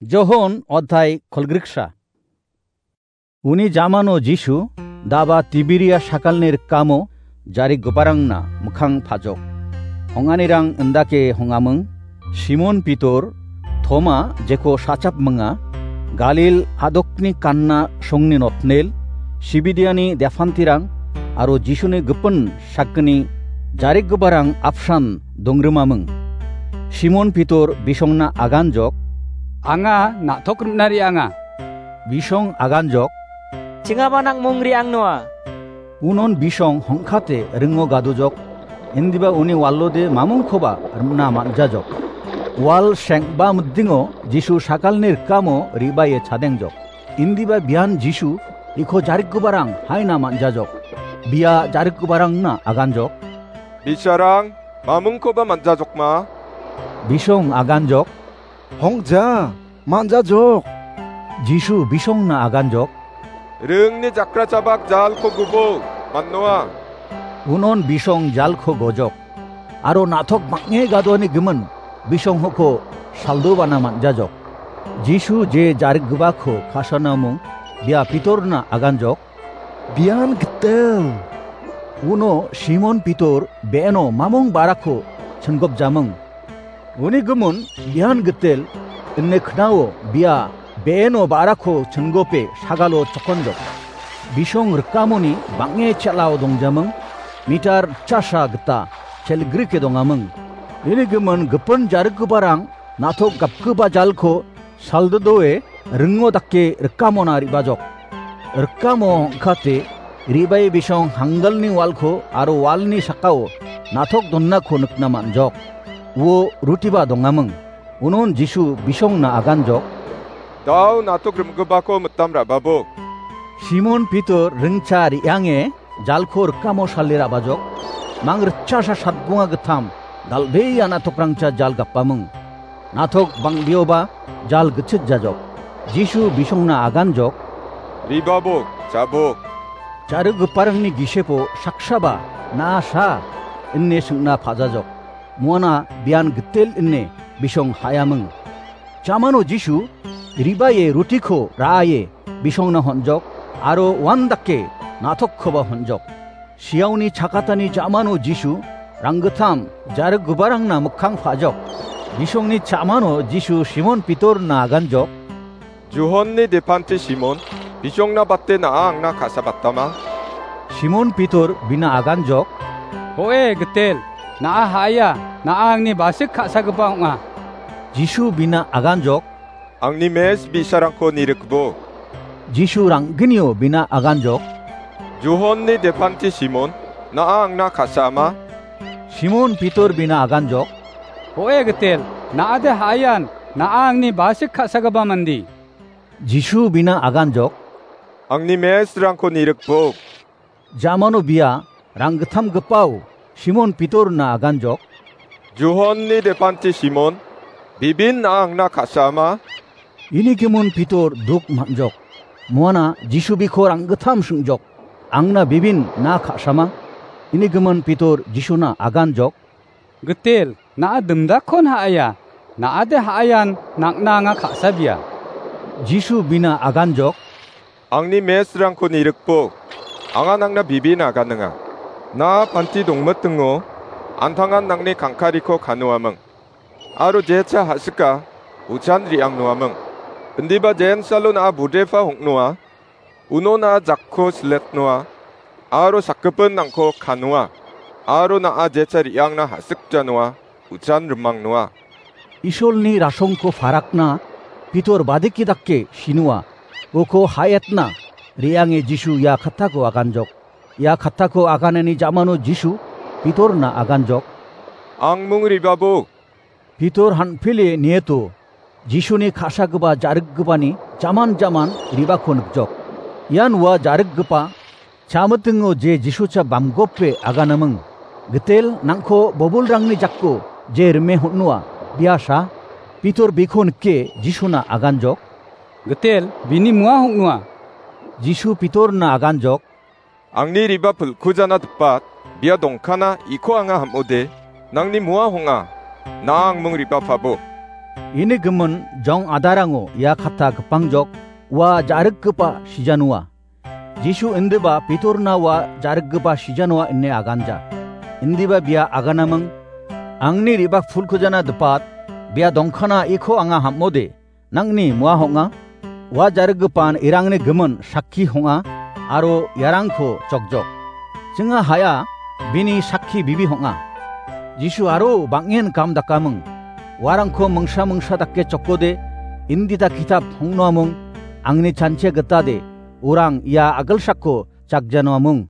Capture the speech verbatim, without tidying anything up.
Johon oddhai kolgriksa. Uni jamano Jisu daba Tiberia sakalni rikamo jarikgiparangna mikkang pajok ong·anirang indake ong·aming. Simon Pitor, Toma, jeko sachap minga, Galil hadokni Kanna songni Notnel, Sibidiani depantirang, aro Jisuni gipin sakgni jarikgiparang apsan dongrimaming. Simon Pitor bisongna aganjok, "Anga na·tok rim·na re·anga." Bisong aganjok, "Chingaba nang·mung re·angnoa." Unon bisong hongkate ringo gadojok, indiba uni walode mamungkoba rim·na man·jajok. Wal sengba middingo Jisu sakalni rikamo ribae chadengjok. Indiba bian Jisu iko jarikgiparang haina man·jajok. Bia jarikgiparangna aganjok, "Bi·sarang, mamungkoba man·jajokma?" Bisong aganjok, "Hongja, man·jajok." Jisu bisongna aganjok, "Ringni jakra chabak jalko gubo, man·noa." Unon bisong jalko gojok, aro na·tok bang·e gadoani gimin bisong hoko saldobana man·jajok. Jisu je jarikgipako ka·sanamung bia Pitorna aganjok, "Bian gitel." Uno Simon Pitor be·eno mamung ba·rako chingopjaming. Uni gimin, "Bian gitel," ine knao bia be·eno ba·rako chingope sagalo chokonjok. Bisong rikamoni bang·e chel·ao dongjaming, mitar chasa gita chelgrike dongaming. Ini gimin gipin jarikgiparang na·tok gapgipa jalko saldodoe ringo dake rikamona re·bajok. Rikamo ong·kate ribae bisong hanggalni walko aro walni sakao na·tok donako nikna man·jok. Uo rutiba dongaming. Unon Jisu bisongna aganjok, "Dao na·tok rimgipako mitam ra·babo." Simon Pitor ringcha re·ange jalko rikamo sale ra·bajok, mangritchasa satgonga gittam dal·bea na·tokrangcha jal gapaming. Na·tok bang·beoba jal gitchitjajok. Jisu bisongna aganjok, "Ribabo, jabok." Jarikgiparangni gisepo saksaba, "Na·a sa?" ine singna pajajok. Muana "Bian gitel," ine bisong ha·aming. Jamano Jisu ribae rutiko ra·ae bisongna hon·jok aro uandake na·tokkoba hon·jok. Siaoni chakatani jamano Jisu ranggittam jarikgiparangna mikkang pajok. Bisongni cha·mano Jisu Simon Pitorna aganjok, "Johonni depanti Simon, bisongna bate na·a angna ka·sabatama?" Simon Pitor bina aganjok, "Ho·e, gitel, na·a ha·aia, na·a angni basik ka·sagipa ong·a." Jisu bina aganjok, "Angni mes bi·sarangko nirikbo." Jisu ranggnio bina aganjok, "Johonni depanti Simon, na·a angna ka·saama?" Simon Pitor bina aganjok, "Ho·e, gitel, na·ade ha·aian, na·a angni basik ka·sagipa mande." Jisu bina aganjok, "Angni mesrangko nirikbo." Jamano bia ranggittamgipao Simon Pitorna aganjok, "Johonni depanti Simon, bibin na·a angna ka·saama?" Ini gimin Pitor duk man·jok. Muana Jisu biko ranggittam sing·jok, "Angna bibin na·a ka·saama?" Ini gimin Pitor Jisuna aganjok, "Gitel, na·a dimdakkon ha·aia, na·ade ha·aian nang·na anga ka·sabia." Jisu bina aganjok, "Angni mesrangko nirikbo, anga nangna bibin aganinga. Na·a panti dongmitingo antangan nangni kangkariko kanoaming. Aro jecha ha·sika ujan re·angnoaming. Indiba jensalo na·a bodepa ong·noa, uno na·a jakko siletnoa, aro sakgipin nangko kanoa, aro na·a jecha re·angna ha·sikjanoa, ujan rimangnoa." Isolni rasongko parakna Pitor badiki dake sinoa, uko ha·etna re·ange Jisu ia kattako aganjok. Ia kattako aganani jamano Jisu Pitorna aganjok, "Angmung ribabo." Pitor han·pile nieto, Jisuni ka·sagipa jarikgipani jaman jaman ribako nikjok. Ian ua jarikgipa, chamitingo je Jisucha bamgope aganaming. "Gitel, nangko bobolrangni jako je rime hon·noa, bia sa?" Pitor biko nike Jisuna aganjok, "Gitel, bini mua hon·noa." Jisu Pitorna aganjok, "Angni riba pilkujana dipat, bia dongkana iko anga ham·ode, nangni mua hong·a, na·a angmung riba pabo." Ini gimin jong adarango ia katta gipangjok ua ja·rikgipa sijanoa. Jisu indiba Pitorna ua ja·rikgipa sijanoa ine aganja. Indiba bia aganaming, "Angni re·bak pulkujana dipat, bia dongkana iko anga ham·ode, nang·ni mua hong·a?" Ua ja·rikgipan irangni gimin sakki hong·a aro iarangko jokjok. Jinga ha·a bini sakki bibi hong·a. Jisu aro bang·en kam dakaming. Uarangko mingsa mingsa dake jokode, indita kitap hongnoamung, angni chanchia gitade, orang ia agilsakko jagjanoamung.